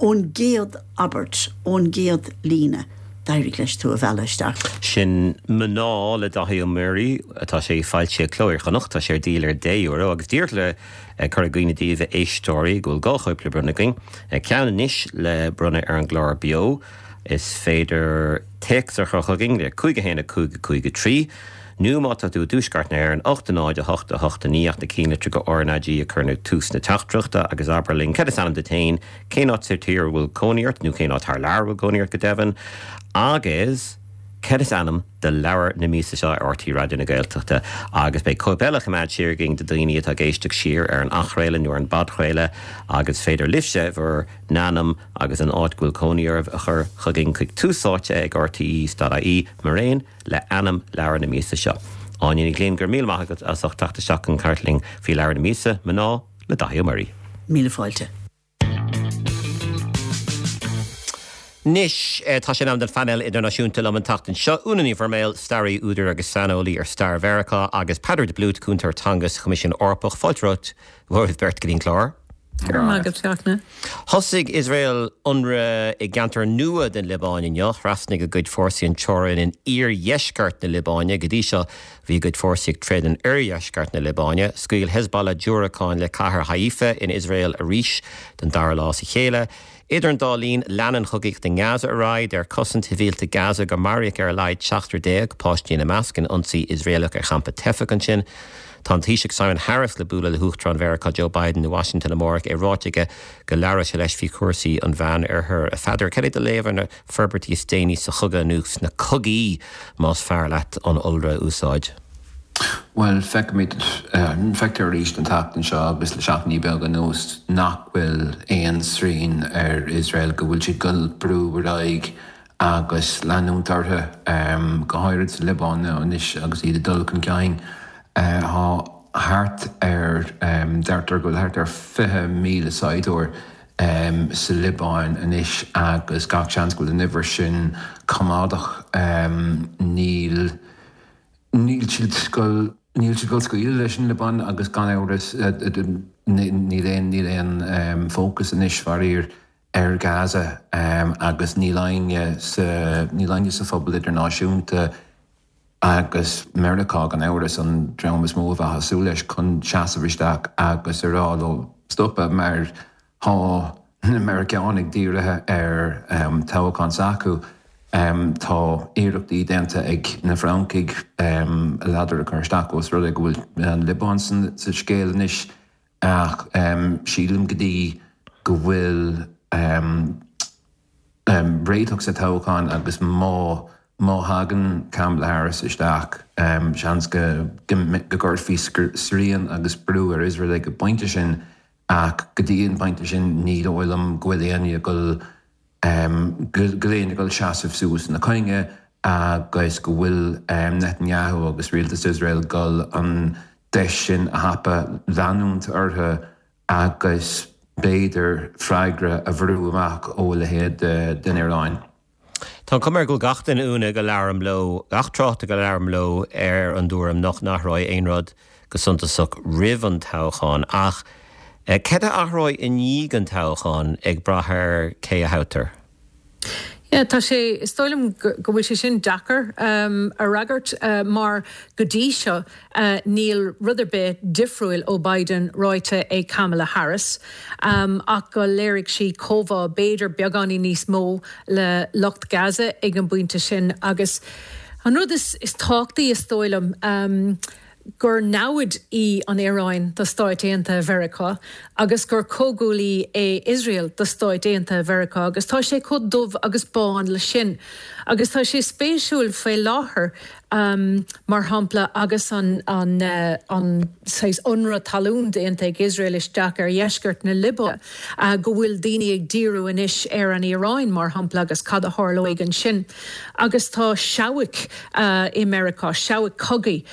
ón gcéad abairt, ón gcéad líne, d'éirigh leis tú a mhealladh isteach. Sin Mná le Daithí Ó Muirí, tá sé foilsithe ag Cló Iar-Chonnacht, tá sé ar díol ar deich euro agus díreach le cur i gcuimhne daoibh a éisteoirí go bhfuil 2 chóip le bronnadh againn, ceann anois le bronnadh ar an gclár beo. Is féidir téacs a chur chugainn le 5 1 5 5 3 nó má tá tú i dTuaisceart na hÉireann, 8 0 8 8 9 ach na cinnlitreacha RnaG a chur ag tús na teachtaireachta agus abair linn cad is ainm duit féin, cén áit sa tír a bhfuil cónaí ort, nó cén áit thar lear a bhfuil cónaí ort go deimhin, agus cad is ainm do leabhar na míosa seo ar RTÉ Raidió na Gaeltachta. Agus beidh cóip eile á choimeád siar againn do dhaoine atá ag éisteacht siar ar an athchraoladh nó ar an bpodchraoladh agus is féidir libhse bhur n-ainm agus an áit go bhfuil cónaí oraibh a chur chugainn chuig Tús Áite ag rte.ie maraon le ainm leabhar na míosa seo. Áine Ní Ghlinn, go raibh míle maith agat as ucht teacht isteach chun caint linn faoi leabhar na míosa, Mná le Daithí Ó Muirí. Míle fáilte. Anois, tá sé in am don phainéal idirnáisiúnta liom an tseachtain seo, Úna Ní Bhroiméil, staraí, údar agus saineolaí ar stair Mheiriceá, agus Peadar de Blúit, cúntóir teanga sa Choimisiún Eorpach. Fáilte romhaibh beirt go dtí an clár. Go raibh maith agat, Fachtna. Thosaigh Iosrael ionradh i gceantar nua den Liobáin inniu. Thrasnaigh a gcuid fórsaí an teorainn in iardheisceart na Liobáine. Go dtí seo, bhí a gcuid fórsaí ag troid in oirdheisceart na Liobáine. Scaoil Hezbollah diúracáin le cathair Haifa in Iosrael arís don dara lá as a chéile. Idir an dá linn, leanann an chogaíocht i nGaza ar aghaidh. Deir Cosaint Shibhialta Gaza gur maraíodh ar a laghad seachtar déag, páistí ina measc, in ionsaí Iosraelach ar champa teifeach ansin. Tá an Taoiseach Simon Harris le bualadh le hUachtarán Mheiriceá Joe Biden i Washington amárach, é ráite aige go labhróidh sé leis faoi chúrsaí an Mheánoirthir. A Pheadair, cad é do léamh ar na forbairtí is déanaí sa chogadh, nó sna cogaí, más fearr leat an iolra a úsáid? Bhuel, feicimid, feictear arís an tseachtain seo agus le seachtainí beaga anuas nach bhfuil aon srian ar Iosrael, go bhfuil siad ag dul brú ar aghaidh agus leanúint orthu, go háirid sa Liobáin anois agus iad ag dul chun cinn. Tá thart ar, deirtear go bhfuil thart ar 20,000 saighdiúir sa Liobáin anois agus gach seans go bhfuil an uimhir sin coimeádach. Níl. Níl siad ag dul, níl siad ag dul scaoileadh leis an Liobáin agus gan amhras níl aon, níl aon fócas anois faraor ar Gaza agus níl éinne sa, níl éinne sa phobal idirnáisiúnta agus Meiriceá gan amhras an dream is mó a bheifeá ag súil leis chun seasamh isteach agus a rá leo stopadh mar Tá na Meiriceánaigh dírithe ar toghchán s'acu. Tá iarrachtaí déanta ag na Francaigh a ladar a chur isteach ós rud é go bhfuil an Liobáin sa scéal anois ach sílim go dtí go bhfuil réiteach sa toghchán agus má má thagann Kamala Harris isteach seans go gcuirfí srian agus brú ar Iosrael ag an bpointe sin. Ach go dtí an pointe sin, ní dóigh liom go bhfuil éinne ag dul, go bhfuil éinne ag dul seasamh suas ina coinne agus go bhfuil Netanyahu agus rialtas Iosrael ag dul an deis sin a thapú, leanúint orthu agus b'fhéidir freagra a bhrú amach ó a leithéid den Iaráin. Tá an chuma air go bhfuil gach duine Úna go labhraim leo, gach tráchtaire go labhraim leo ar an dtuairim nach n-athróidh aon rud go suntasach roimh an toghchán ach cad a athróidh i ndiaidh an toghcháin ag brath ar cé a thoghtar? Yeah, tá sé, is dóigh liom go bhfuil sé sin deacair a fhreagairt mar go dtí seo Níl rud ar bith difriúil ó Biden ráite ag Kamala Harris ach go léirigh sí comhbhá, b'fhéidir beagáinín níos mó le lucht Gaza ag an bpointe sin. Agus an rud is tábhachtaí, is dóigh liom, gur namhaid í an Iaráin do Stáit Aontaithe Mheiriceá agus gur comhghuaillí é Iosrael do Stáit Aontaithe Mheiriceá agus tá sé chomh dubh agus bán le sin. Agus tá sé spéisiúil faoi láthair. Mar shampla, agus an saghas ionradh talún déanta ag Iosrael isteach ar dheisceart na Liobáine, go bhfuil daoine ag díriú anois ar an Iaráin, mar shampla, agus cad a tharlóidh ansin. Agus tá seabhaic i Meiriceá, seabhaic cogaidh,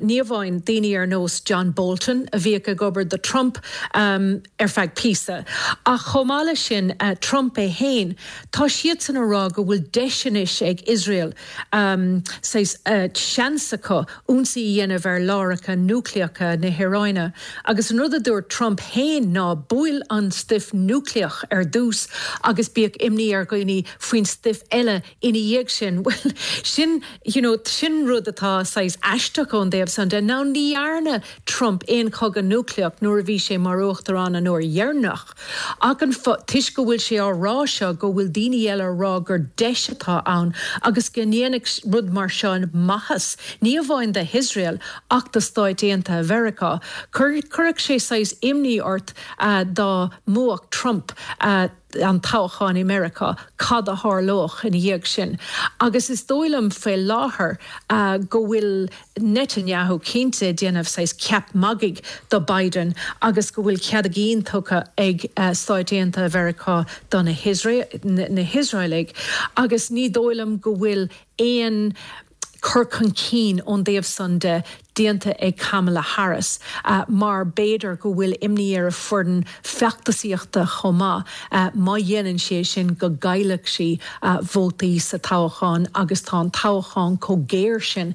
ní amháin daoine ar nós John Bolton, a bhíodh ag obair do Trump ar feadh píosa, ach chomh maith leis sin, Trump é féin. Tá siadsan ag rá go bhfuil deis anois ag Iosrael, saghas seans acu ionsaí a dhéanamh ar láithreacha núicléacha na hIaráine. Agus an rud a dúirt Trump féin ná buail an stuif núicléach ar dtús agus bíodh imní ar dhaoine faoin stuif eile ina dhiaidh sin. Bhuel, sin, you know, sin rud atá saghas aisteach ón dtaobh san de. Now ní dhearna Trump aon chogadh núicléach nuair a bhí sé mar uachtarán an uair dheireanach. Ach an fáth, toisc go bhfuil sé á rá seo go bhfuil daoine eile á rá gur deis atá ann agus go ndéanfadh rud mar seo maitheas, ní amháin do Iosrael ach do Stáit Aontaithe Mheiriceá. Chuirfeadh sé saghas imní ort dá mbuafadh Trump an toghchán i Meiriceá, cad a tharlódh ina dhiaidh sin. Agus is dóigh liom faoi láthair go bhfuil Netanyahu cinnte ag déanamh saghas ceap magaidh do Biden agus go bhfuil cead a gcinn tugtha ag Stáit Aontaithe Mheiriceá do na hIosraelaigh agus ní dóigh liom go bhfuil aon cur chun cinn ón dtaobh san de déanta ag Kamala Harris mar b'fhéidir go bhfuil imní ar a foireann feachtasaíochta chomh maith má dhéanann sí é sin go gcaillfeadh sí vótaí sa toghchán agus tá an toghchán chomh géar sin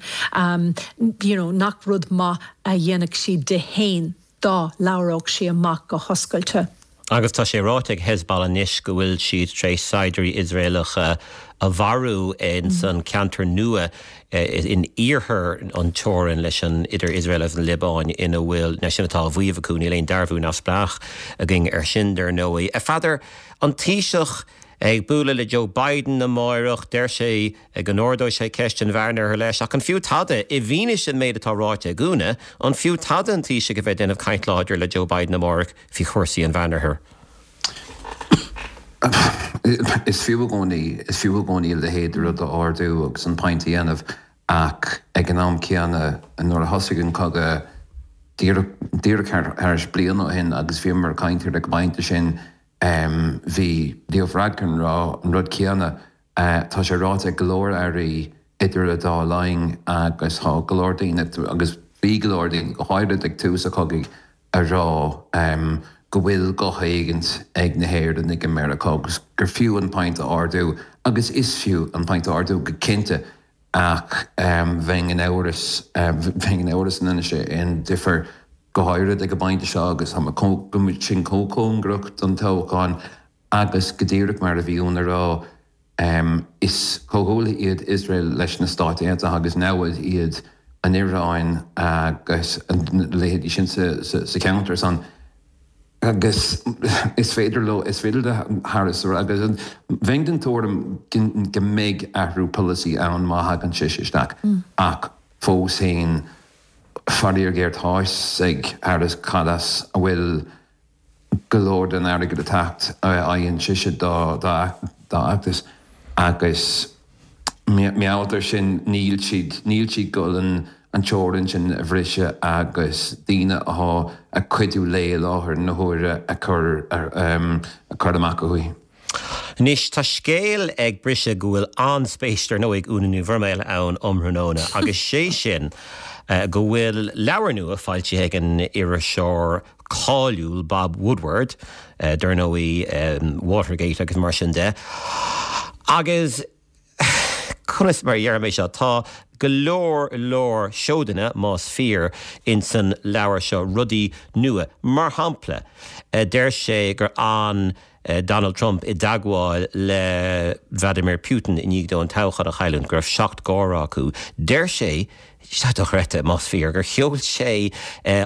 you know nach rud maith a dhéanfadh sí di fhéin dá labhródh sí amach go hoscailte. Agus tá sé ráite ag Hezbollah anois go bhfuil siad tar éis saighdiúirí Iosraelacha a mharú ins an ceantar nua in iarthar an teorainn leis an idir Iosrael agus an Liobáin ina bhfuil, now sin atá á mhaíomh acu, níl aon dearbhú neamhspleách againn ar sin dar ndóigh. A Pheadair, an Taoiseach ag bualadh le Joe Biden amáireach, deir sé go n-ardóidh sé ceist an Mheánoirthir leis, ach an fiú tada, i bhfianaise an méid atá ráite ag Úna, an fiú tada an Taoiseach a bheith ag déanamh caint láidir le Joe Biden amáireach faoi chúrsaí an Mheánoirthir? Is fiú i gcónaí, is fiú i gcónaí a leithéid de rud a ardú agus an point a dhéanamh ach ag an am céanna, nuair a thosaigh an cogadh díreach, díreach thar éis bliain ó shin agus bhíomar ag caint ar ag an bpointe sin, Bhí Leo Varadkar ag rá an rud céanna. Tá sé ráite ag go leor airí idir an dá linn agus tá go leor daoine, agus bhí go leor daoine, go háirid ag tús an chogaidh, ag rá go bhfuil guth éigint ag na hÉireannaigh i Meiriceá agus gur fiú an point a ardú agus is fiú an point a ardú go cinnte ach bheinn in amhras, bheinn in amhras an ndéanfaidh sé aon difear, go háirid ag an bpointe seo agus tá sinn chomh cóngarach don toghchán agus go díreach mar a bhí Úna ag rá, is comhghuaillithe iad Iosrael leis na Stáit Aontaithe agus namhaid iad an Iaráin agus a leithéidí sin sa cheantar san. Agus is féidir leo, is féidir le Harris a rá, agus bheinn den tuairim go mbeidh athrú polasaí ann má thagann sise isteach, ach fós féin, faraor géar tá a fhios ag Harris cad as a bhfuil go leor den airgead ag teacht a fhaigheann sise dá fheachtas agus mar gheall air sin níl siad, níl siad ag dul an teorainn sin a bhriseadh agus daoine atá ag cuidiú léi i láthair na huaire a chur a chur amach uaithi. Anois, tá scéal ag briseadh go bhfuil an-spéis, dar ndóigh, ag Úna Ní Bhroiméil ann um thráthnóna agus sé sin go bhfuil leabhar nua foilsithe ag an iriseoir cáiliúil Bob Woodward, dar ndóigh, Watergate agus mar sin de. Agus conas mar a déarfaidh mé seo, tá go leor leor seodanna, más fíor, insan leabhar seo, rudaí nua. Mar shampla, deir sé gur fhan Donald Trump i dteagmháil le Vladimir Putin i ndiaidh dó an toghchán a chailliúint, go raibh seacht gcomhrá acu. Deir sé. Seo dochreidte, más fíor, gur sheol sé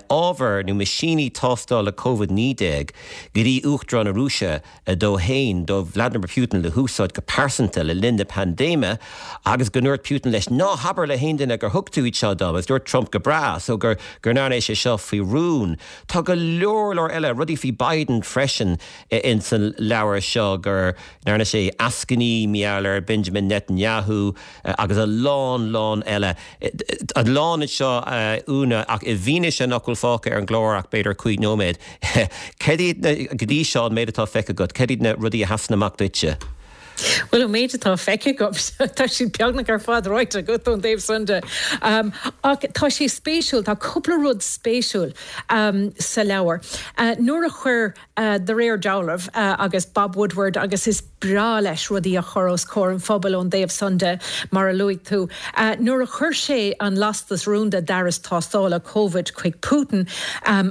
ábhar nó meaisíní tástála Covid-19 go dtí Uachtarán na Rúise dó fhéin, do Vladimir Putin, le húsáid go pearsanta le linn na paindéime agus go ndúirt Putin leis, Ná habair le haon duine gur thug tú iad seo dom agus dúirt Trump go breá so go ndearna sé seo faoi rún. Tá go leor leor eile, rudaí faoi Biden freisin ins an leabhar seo, go ndearna sé eascainí mar gheall ar Benjamin Netanyahu agus a lán lán eile. A lán anseo, a Úna, ach i bhfianaise nach bhfuil fágtha ar an gclár ach b'fhéidir 5 nóiméad, cad iad na, go dtí seo, an méid atá feicthe agat, cad iad na rudaí a sheasann amach duitse? Bhuel, an méid atá feicthe agam, tá siad beagnach ar fad ráite agat ón dtaobh san de. Ach tá sé spéisiúil, tá cúpla rud spéisiúil sa leabhar. Nuair a chuir de réir dealraimh, agus Bob Woodward, agus is breá leis rudaí a chur os comhair an phobail ón dtaobh san de, mar a luaigh tú. Nuair a chuir sé an lastas rúnda d'fhearas tástála Covid chuig Putin,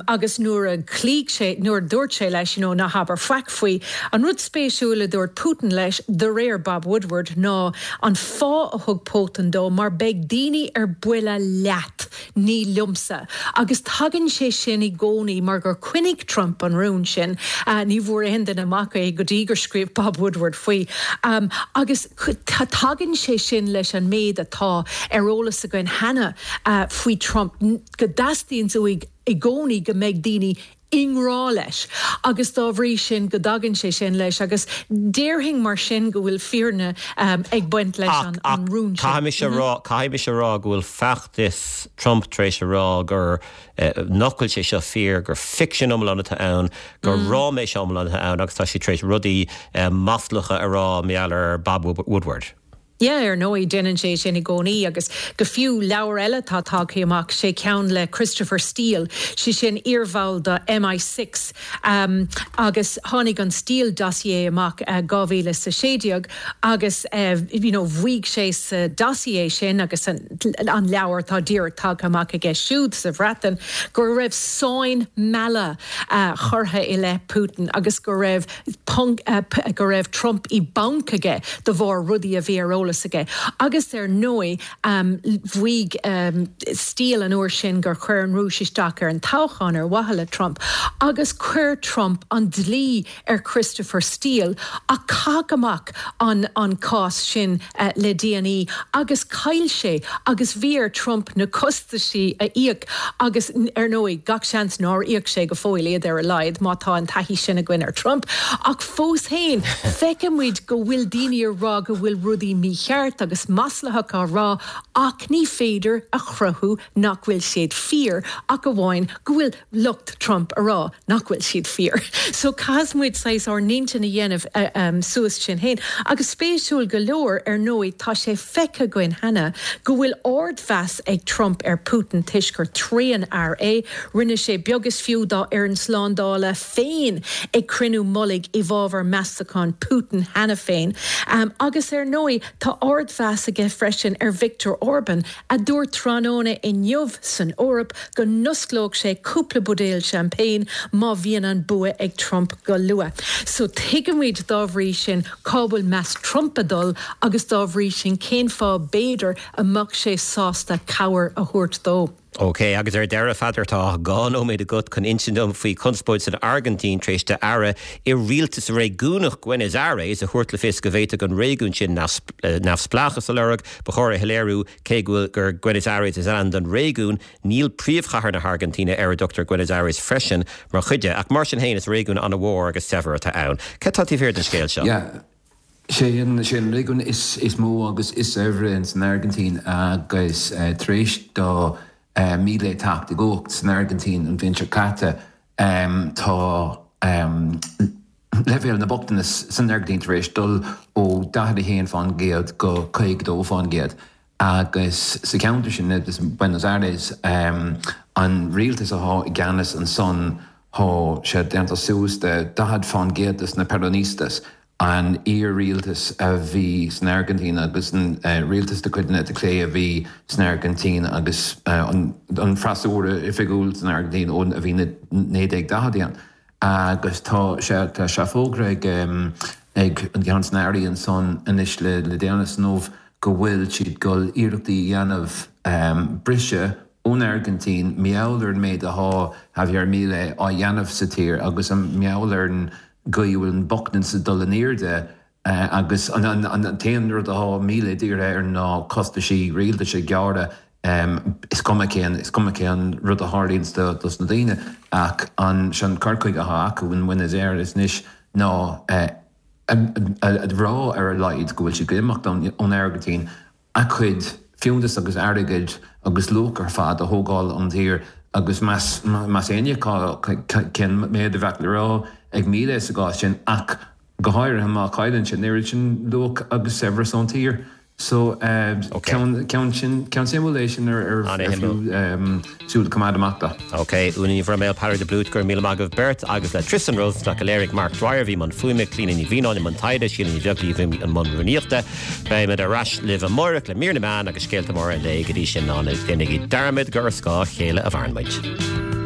agus nuair a chloígh sé, nuair a dúirt sé leis, you know, ná habair faic faoi, an rud spéisiúil a dúirt Putin leis, de réir Bob Woodward, ná an fáth a thug Putin dó, mar beidh daoine ar buile leat. Ní liomsa. Agus tagann sé sin i gcónaí mar gur choinnigh Trump an rún sin. Ní bhfuair aon duine amach é go dtí gur scríobh Bob Woodward faoi. Agus tagann sé sin leis an méid atá ar eolas againn cheana faoi Trump, go dteastaíonns uaidh i gcónaí go mbeidh daoine i ngrá leis agus dá bhrí sin go dtagann sé sin leis agus déarfainn mar sin go bhfuil fírinne ag baint leis an Ach rún sin. caithfidh mise a rá, caithfidh mise a rá go bhfuil feachtas Trump tar éis a rá gur, nach bhfuil sé seo fíor, gur ficsean iomlán atá ann, gur ráiméis iomlán atá ann agus tá siad tar éis rudaí maslacha a rá mar gheall ar Bob Woodward. Yeah, ar ndóigh, déanann sé sin i gcónaí agus go fiú leabhar eile atá tagtha amach, sé ceann le Christopher Steele, sé sin iarbhall do MI6 agus tháinig an Steele dossier amach 2016 agus you know mhaígh sé sa dossier sin agus an leabhar atá díreach tagtha amach aige siúd sa Bhreatain go raibh sáinn meala curtha i leith Putin agus go raibh ponc go raibh Trump i bponc aige de bharr rudaí a bhí ar eolas aige. Agus ar ndóigh mhaígh Steele an uair sin gur chuir an Rúis isteach ar an toghchán ar mhaithe le Trump agus chuir Trump an dlí ar Christopher Steele ach caitheadh amach an an cás sin le déanaí agus chaill sé agus bhí ar Trump na costaisí a íoc agus ar ndóigh gach seans nár íoc sé go fóill iad ar a laghad má tá an taithí sin againn ar Trump. Ach fós féin feiceann muid go bhfuil daoine ag rá go bhfuil rudaí mícheart agus maslaitheach á rá ach ní féidir a chruthú nach bhfuil siad fíor ach amháin go bhfuil lucht Trump a rá nach bhfuil siad fíor. So caithfidh muid saghas ár n-intinn a dhéanamh suas sinn féin. Agus spéisiúil go leor, ar ndóigh, tá sé feicthe againn cheana go bhfuil ardmheas ag Trump ar Putin toisc gur tréanfhear é. Rinne sé beag is fiú dá fhoireann slándála féin ag cruinniú mullaigh i bhfabhar meastachán Putin cheana féin. Agus ar ndóigh, tá ardmheas aige freisin ar Viktor Orban, a dúirt tráthnóna inniu san Eoraip go n-osclódh sé cúpla buidéal champagne má bhíonn an bua ag Trump go luath. So tuigimid dá bhrí sin cá bhfuil meas Trump ag dul agus dá bhrí sin cén fáth b'fhéidir a mbeadh sé sásta cabhair a thabhairt dó. OK, agus ar deireadh, a Pheadair, tá 2 nóiméad agat chun insint dom faoi chonspóid san Airgintín tar éis d'aire i rialtas réigiúnach Buenos Aires a thabhairt le fios go bhféadfadh an réigiún sin neamhspleáchas a lorg. Ba chóir a shoiléiriú, cé go bhfuil gur Buenos Aires is ainm don réigiún, níl príomhchathair na hAirgintíne, ar a dtugtar Buenos Aires freisin, mar chuid de. Ach mar sin féin, is réigiún an-mhór agus saibhir atá ann. Cad tá taobh thiar den scéal seo? Yeah. Sé an réigiún is mó agus is saibhre ins an Airgintín agus tar éis do Milei teacht i gcumhacht san Airgintín an bhliain seo caite, tá leibhéal na bochtanas san Airgintín tar éis dul ó 41% go 52% agus sa cheantar sin, Buenos Aires, an rialtas athá i gceannas ansan, thá sé déanta suas de 40% des na Peronistas, an iar-rialtas a bhí san Airgintín agus an rialtas de chuid na eite clé a bhí san Airgintín agus an freasúra oifigiúil san Airgintín ó a bhí na 1940idí ann. Agus tá sé tá sé fógartha ag ag an gceann des na airí ansan anois le déanaí inniu go bhfuil siad ag dul iarrachtaí a dhéanamh. Briseadh ón Airgintín mar gheall ar an méid athá Javier Milei á dhéanamh sa tír agus mar gheall ar an gcaoi a bhfuil an bochtanas ag dul in airde agus an t-aon rud athá Milei dírithe air ná costaisí rialtais a ghearradh. Is cuma cén, is cuma cén rud a tharlaíonns dos na daoine ach an, sé an cur chuige athá acu in Buenos Aires anois ná a rá ar a laghad go bhfuil siad ag imeacht ón Airgintín a cuid fiúntas agus airgid agus luach ar fad a thógáil ón dtír agus meas meas éinne cén méid a bheadh le rá ag Milei sa gcás sin ach go háirithe má chailleann sé an oiread sin luach agus saibhreas ón tír. So, ceann ceann sin ceann suimiúil é sin ar ar fiú súil a choimeád amach dó. Ok, Úna Ní Bhroiméil, Peadar de Blúit, go raibh míle maith agaibh beirt agus le Tristan Rosenstock a léirigh Mark Dwyer a bhí i mbun fuaime, Clíona Ní Mhianáin i mbun taighde, Síle Ní Bheaglaoich a bhí i mbun rúnaíochta. Beimid ar ais libh amárach le mír na meán agus scéalta móra an lae. Go dtí sin, ná déanaigí dearmad gur ar scáth a chéile a mhaireann muid.